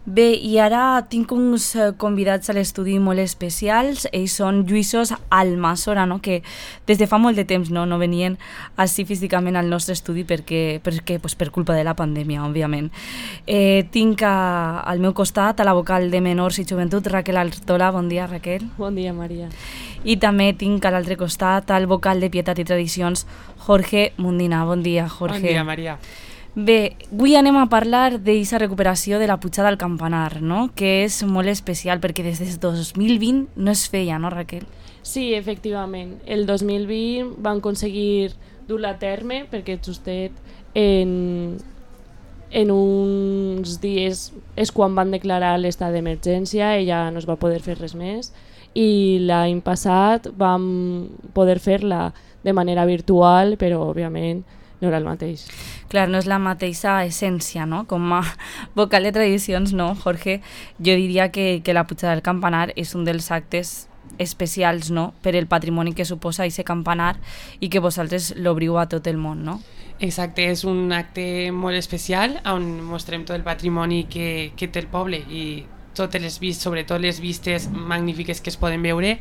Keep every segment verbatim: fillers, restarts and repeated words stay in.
Bé, i ara tinc uns convidats a l'estudi molt especials. Ells són Lluïsos Almassora, no? Que des de fa molt de temps no, no venien així físicament al nostre estudi perquè, perquè pues, per culpa de la pandèmia, òbviament. Eh, tinc a, al meu costat a la vocal de Menors i Joventut, Raquel Artola. Bon dia, Raquel. Bon dia, Maria. I també tinc a l'altre costat al vocal de Pietat i Tradicions, Jorge Mundina. Bon dia, Jorge. Bon dia, Maria. Bé, avui anem a parlar d'aquesta recuperació de la pujada al campanar, no? Que és molt especial perquè des del dos mil vint no es feia, no, Raquel? Sí, efectivament. El dos mil vint van aconseguir dur-la a terme perquè justet en, en uns dies és quan van declarar l'estat d'emergència i ja no es va poder fer res més, i l'any passat vam poder fer-la de manera virtual, però òbviament no era el mateix. Clar, no és la mateixa essència, no? Com a vocal de tradicions, no, Jorge? Jo diria que, que la pujada del campanar és un dels actes especials, no?, per el patrimoni que suposa aquest campanar i que vosaltres l'obriu a tot el món, no? Exacte, és un acte molt especial on mostrem tot el patrimoni que, que té el poble i totes les vistes, sobretot les vistes magnífiques que es poden veure,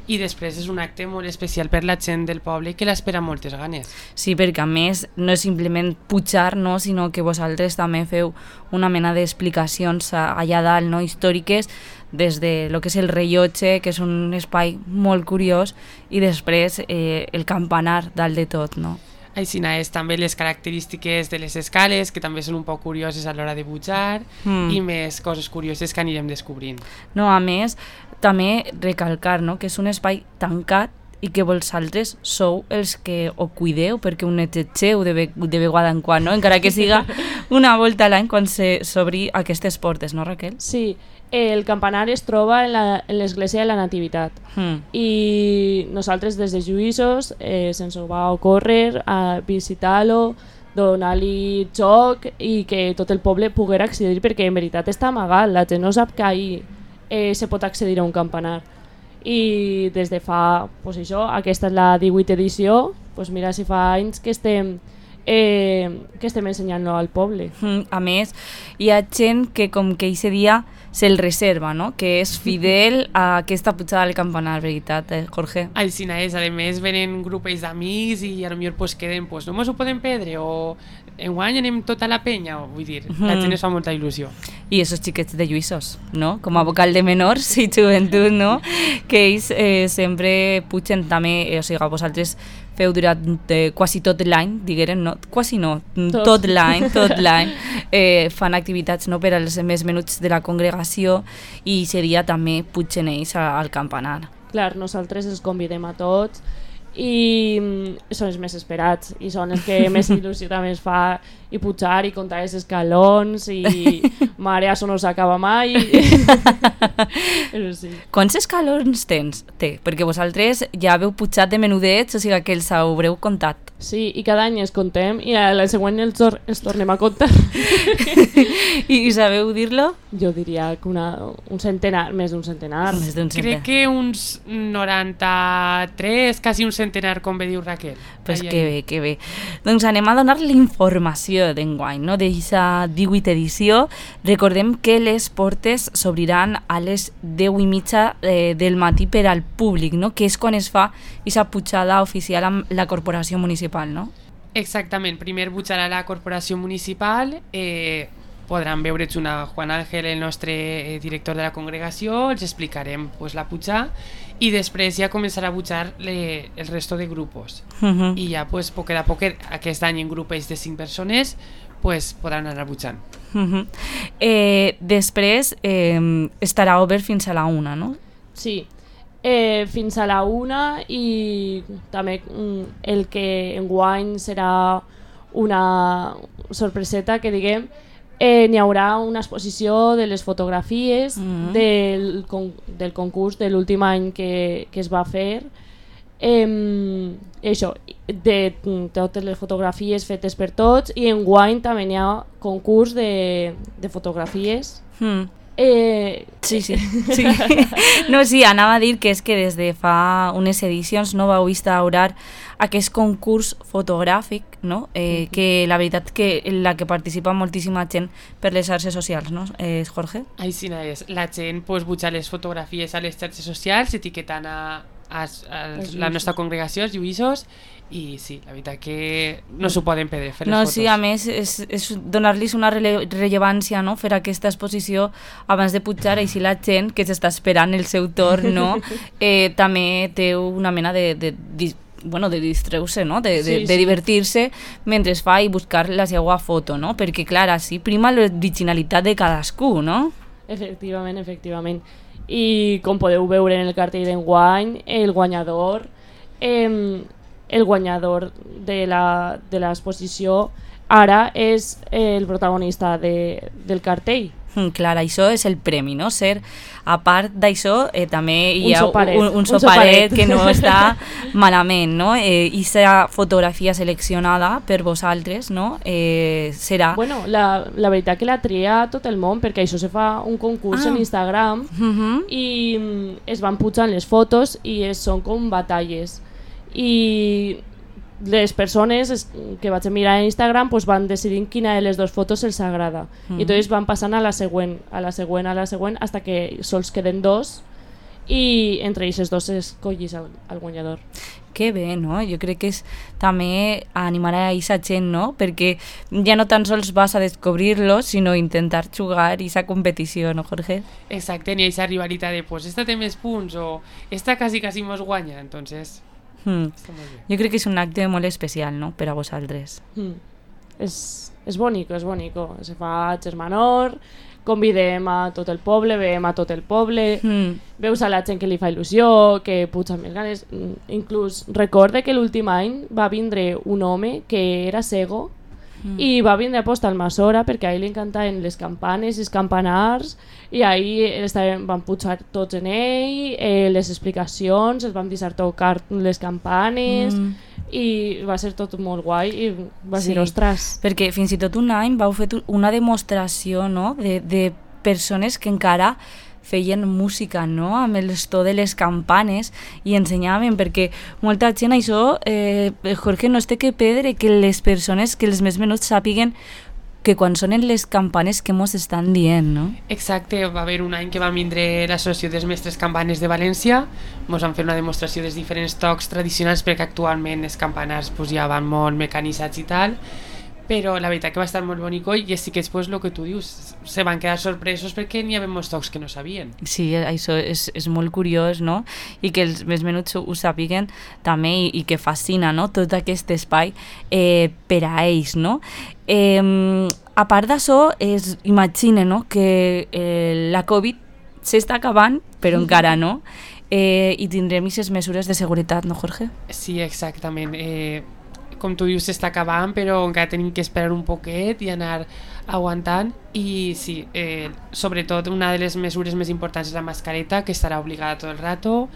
i després és un acte molt especial per la gent del poble que l'espera amb moltes ganes. Sí, perquè a més no és simplement pujar, no, sinó que vosaltres també feu una mena d'explicacions allà dalt, no, històriques, des de lo que és el rellotge, que és un espai molt curiós, i després eh, el campanar dalt de tot, no? Així és també les característiques de les escales, que també són un poc curioses a l'hora de pujar, mm. i més coses curioses que anirem descobrint. No, a més, també recalcar, no?, que és un espai tancat i que vosaltres sou els que ho cuideu perquè ho netegeu de, ve de vegada en quan, no? Encara que siga una volta a l'any quan s'obri aquestes portes, no, Raquel? Sí, el campanar es troba en l'església de la Nativitat, mm. i nosaltres des de Lluïsos eh, se'ns va ocórrer a visitar-lo, donar-li joc i que tot el poble poguera accedir, perquè en veritat està amagat, la gent no sap que ahir eh, se pot accedir a un campanar. I des de fa, pues això, aquesta és la divuitena edició, pues mira si fa anys que estem eh, que estem ensenyant-lo al poble. Mm, a més, hi ha gent que com que aquest dia se'l reserva, no?, que és fidel a aquesta pujada al campanar, veritat, eh, Jorge? Així és, a més venen grupells d'amics i potser pues, queden, pues, no mos ho podem perdre, o enguany anem tota la penya, o, vull dir, mm. la gent es fa molta il·lusió. I esos xiquets de Lluïsos, no?, com a vocal de Menors i Joventut, no?, que ells eh, sempre pugen també, eh, o sigui, vosaltres feu durant eh, quasi tot l'any, digueren, no, quasi no, tot, tot l'any, tot l'any, eh, fan activitats, no?, per als més menuts de la congregació, i seria també pugen ells al campanar. Clar, nosaltres els convidem a tots i són els més esperats i són els que més il·lusió també es fa, i pujar i comptar els escalons i mare, això no s'acaba mai. Però sí. Quants escalons tens? Té? Perquè vosaltres ja haveu pujat de menudets, o sigui que els haureu comptat. Sí, i cada any els contem i a la següent els, tor els tornem a comptar. I, I sabeu dir-lo? Jo diria que una, un centenar, més d'un centenar. Més d'un centenar. Crec que uns noranta-tres, quasi un centenar, com bé diu Raquel. Pues ai, que ai. bé, que bé. Doncs anem a donar l'informació d'enguany, no?, d'aquesta divuitena edició. Recordem que les portes s'obriran a les deu i mitja eh, del matí per al públic, no?, que és quan es fa aquesta pujada oficial amb la corporació municipal, no? Exactament, primer pujarà la corporació municipal, eh, podran veure's una Juan Ángel, el nostre eh, director de la congregació, els explicarem pues, la pujada, i després ja començarà a pujar le, el resto de grupos. Uh -huh. I ja, pues, poquet a poquet, aquest any en grupes de cinc persones, pues, podran anar pujant. Uh -huh. eh, després eh, estarà obert fins a la una, no? Sí, eh, fins a la una, i també el que enguany serà una sorpreseta, que diguem, eh, n'hi haurà una exposició de les fotografies mm. del, con, del concurs de l'últim any que, que es va fer, eh, això, de totes les fotografies fetes per tots, i enguany també n'hi ha concurs de, de fotografies mm. Eh... Sí, sí, sí. No, sí, anava a dir que és que des de fa unes edicions no vau instaurar aquest concurs fotogràfic, no? Eh, que la veritat que la que participa moltíssima gent per les xarxes socials, no? Eh, Jorge? Així és. La gent pues, puja les fotografies a les xarxes socials etiquetant a, a, a la nostra congregació, els lluïssos, i sí, la veritat que no s'ho poden perdre fer les no, fotos. Sí, a més és, és donar-los una rele rellevància, no? Fer aquesta exposició abans de pujar, així la gent que s'està esperant el seu torn, no? eh, també té una mena de, de, de bueno, de distreure-se, no? de, de, sí, sí. de divertir-se mentre es fa i buscar la seva foto, no? Perquè clar, així prima l'originalitat de cadascú, no? Efectivament, efectivament. I com podeu veure en el cartell d'enguany, el guanyador eh, el guanyador de la de l'exposició ara és el protagonista de, del cartell. Mm, clar, això és el premi, no? Ser, a part d'això, eh, també hi ha un soparet, un, un, un soparet soparet que no està malament, no? Eh, I aquesta fotografia seleccionada per vosaltres, no? Eh, serà... Bueno, la, la veritat que la tria tot el món, perquè això se fa un concurs ah. en Instagram uh-huh. i mm, es van pujant les fotos i es, són com batalles. I les persones que vaig mirar en Instagram pues van decidir quina de les dues fotos els agrada mm. i tots van passant a la següent a la següent, a la següent, hasta que sols queden dos i entre aquests dos escollis al, al guanyador. Que bé, no? Jo crec que és també animar a aquesta gent, no? Perquè ja no tan sols vas a descobrir-los, sinó intentar jugar aquesta competició, no, Jorge? Exacte, ni aquesta rivalitat de pues esta té més punts o esta quasi quasi mos guanya, entonces... Mm. Jo crec que és un acte molt especial, no?, per a vosaltres. Mm. És, és bonico, és bonico. Se fa a Germanor, convidem a tot el poble, veiem a tot el poble, mm. veus a la gent que li fa il·lusió, que puja més ganes. Inclús recorde que l'últim any va vindre un home que era cego mm. i va vindre a posta al Masora perquè a ell li encantaven les campanes i els campanars i ahir estaven, van pujar tots en ell, eh, les explicacions, els vam deixar tocar les campanes mm. i va ser tot molt guai i va sí, dir, ostres. Perquè fins i tot un any vau fer una demostració, no?, de, de persones que encara feien música, no?, amb el to de les campanes i ensenyaven, perquè molta gent això, eh, Jorge, no es té que perdre que les persones, que els més menuts sàpiguen que quan sonen les campanes que mos estan dient, no? Exacte, va haver un any que va vindre l'Associació dels Mestres Campanes de València, mos van fer una demostració dels diferents tocs tradicionals perquè actualment els campanars pues, ja van molt mecanitzats i tal, però la veritat que va estar molt bonico i sí que després el que tu dius, se van quedar sorpresos perquè n'hi havia molts tocs que no sabien. Sí, això és, és molt curiós, no? I que els més menuts ho sàpiguen també i, i que fascina, no?, tot aquest espai eh, per a ells, no? Eh, a part d'això, es imagina, no?, que eh, la Covid s'està acabant, però encara no, eh, i tindrem aquestes mesures de seguretat, no, Jorge? Sí, exactament. Eh, com tu dius, s'està acabant, però encara tenim que esperar un poquet i anar aguantant. I sí, eh, sobretot una de les mesures més importants és la mascareta, que estarà obligada tot el rato.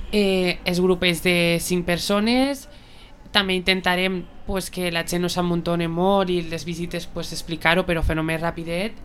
Eh, els grupets de cinc persones. També intentarem pues, que la gent no s'amuntone molt i les visites pues, explicar-ho, però fer-ho més rapidet.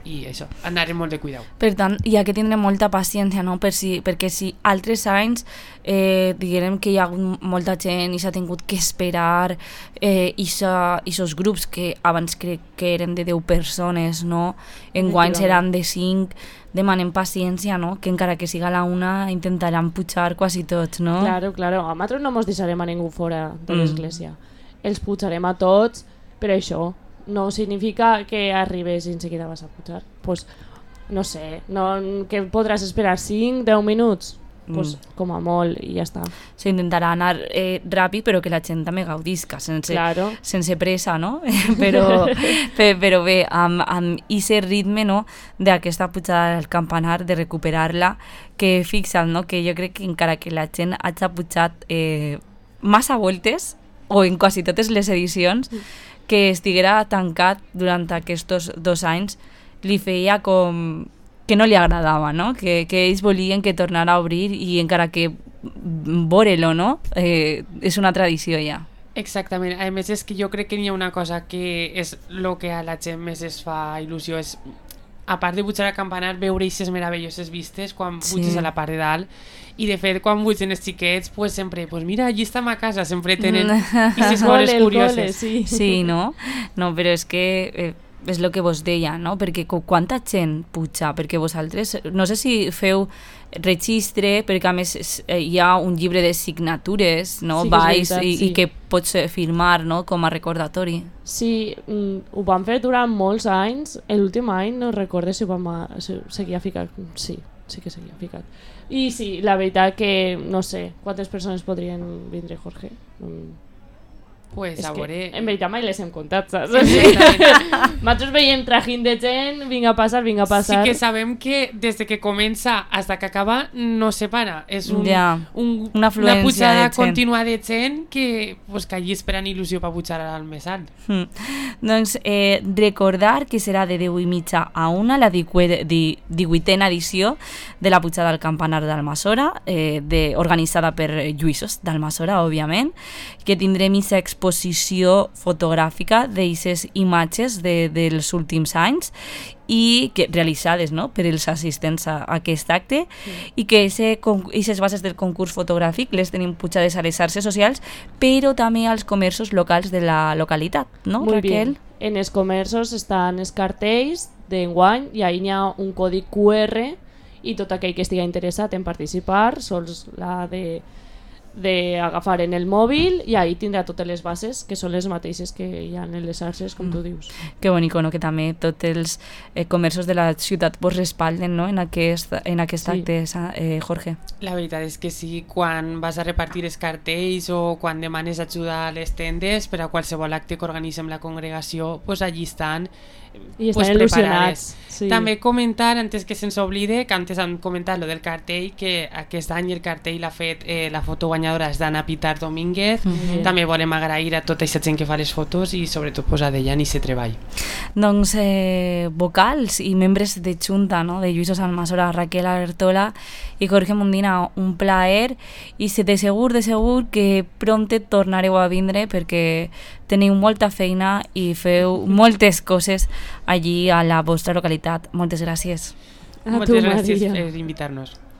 I això, anarem molt de cuidau. Per tant, hi ha que tindre molta paciència, no? Per si, perquè si altres anys eh, diguem que hi ha hagut molta gent i s'ha tingut que esperar eh, i aquests grups que abans crec que eren de deu persones, no? Enguany seran de cinc, demanem paciència, no? Que encara que siga la una intentaran pujar quasi tots, no? Claro, claro, a nosaltres no ens deixarem a ningú fora de l'església. Mm. Els pujarem a tots, però això no significa que arribes i enseguida vas a pujar. Pues, no sé, no, que podràs esperar cinc, deu minuts? Pues, mm. com a molt, i ja està. S'intentarà anar eh, ràpid, però que la gent també gaudisca, sense, claro. sense pressa, no? però, però bé, amb, amb aquest ritme, no?, d'aquesta pujada al campanar, de recuperar-la, que fixa't, no?, que jo crec que encara que la gent hagi pujat eh, massa voltes, o en quasi totes les edicions, mm. que estiguera tancat durant aquests dos anys li feia com que no li agradava, no? Que, que ells volien que tornara a obrir i encara que veure-lo, no? Eh, és una tradició ja. Exactament, a més és que jo crec que hi ha una cosa que és el que a la gent més es fa il·lusió, és a part de pujar al campanar, veure aquestes meravelloses vistes quan Sí. puges a la part de dalt. I de fet, quan pugen els xiquets, pues sempre, pues mira, allí estem a casa, sempre tenen aquestes El coses cole, el curioses. cole, sí. Sí, no? No, però és que eh, és el que vos deia, no? Perquè co- quanta gent puja, perquè vosaltres, no sé si feu registre, perquè a més és- eh, hi ha un llibre de signatures, no? Sí que és Vais veritat, i, sí. i que pots eh, firmar, no? Com a recordatori. Sí, mm, ho vam fer durant molts anys. L'últim any no recordo si ho vam a- si seguia ficat. Sí, sí que seguia ficat. I sí, la veritat que no sé quantes persones podrien vindre, Jorge. Mm. Pues És a que, veure... en veritat mai les hem comptat, saps? Exactament. Nosaltres veiem trajín de gent, vinga a passar, vinga a Sí passar. que sabem que des de que comença fins que acaba no se para. És un, Ja, un, una afluència una pujada de gent. contínua de gent que, pues, que allí esperen il·lusió per pujar al més alt. Mm. Doncs eh, recordar que serà de deu i mitja a una la divuitena di, divuitena edició de la pujada al campanar d'Almassora, eh, de, organitzada per Lluïssos d'Almassora, òbviament, que tindrem aquesta exposició fotogràfica d'aquestes imatges de, dels últims anys i que, realitzades, no?, per els assistents a, a aquest acte, Sí. i que aquestes bases del concurs fotogràfic les tenim pujades a les xarxes socials, però també als comerços locals de la localitat, no, Muy Raquel? bien. En els comerços estan els cartells d'enguany i ahí hi ha un codi Q R i tot aquell que estigui interessat en participar sols l'ha de d'agafar en el mòbil i ahí tindrà totes les bases que són les mateixes que hi ha en les xarxes, com tu dius. Que bonico, no?, que també tots els eh, comerços de la ciutat vos respalden, no?, en aquest, en aquest Sí. acte, Sa- eh, Jorge. La veritat és que sí, quan vas a repartir els cartells o quan demanes ajuda a les tendes per a qualsevol acte que organitzem la congregació, pues allí estan, I pues, estan preparades. il·lusionats. Sí. També comentar, antes que se'ns oblide, que antes han comentat lo del cartell, que aquest any el cartell l'ha fet eh, la foto guanyadora és d'Anna Pitar Domínguez. Mhm. També volem agrair a tota aquesta gent que fa les fotos i sobretot pues, a Dejan i se treball. Doncs eh, vocals i membres de Junta, no?, de Lluïssos Almassora, Raquel Artola i Jorge Mundina, un plaer, i se- de segur, de segur que prompte tornareu a vindre perquè teniu molta feina i feu moltes coses allí a la vostra localitat. Moltes gràcies. A tu, Moltes gràcies Maria. per invitar-nos.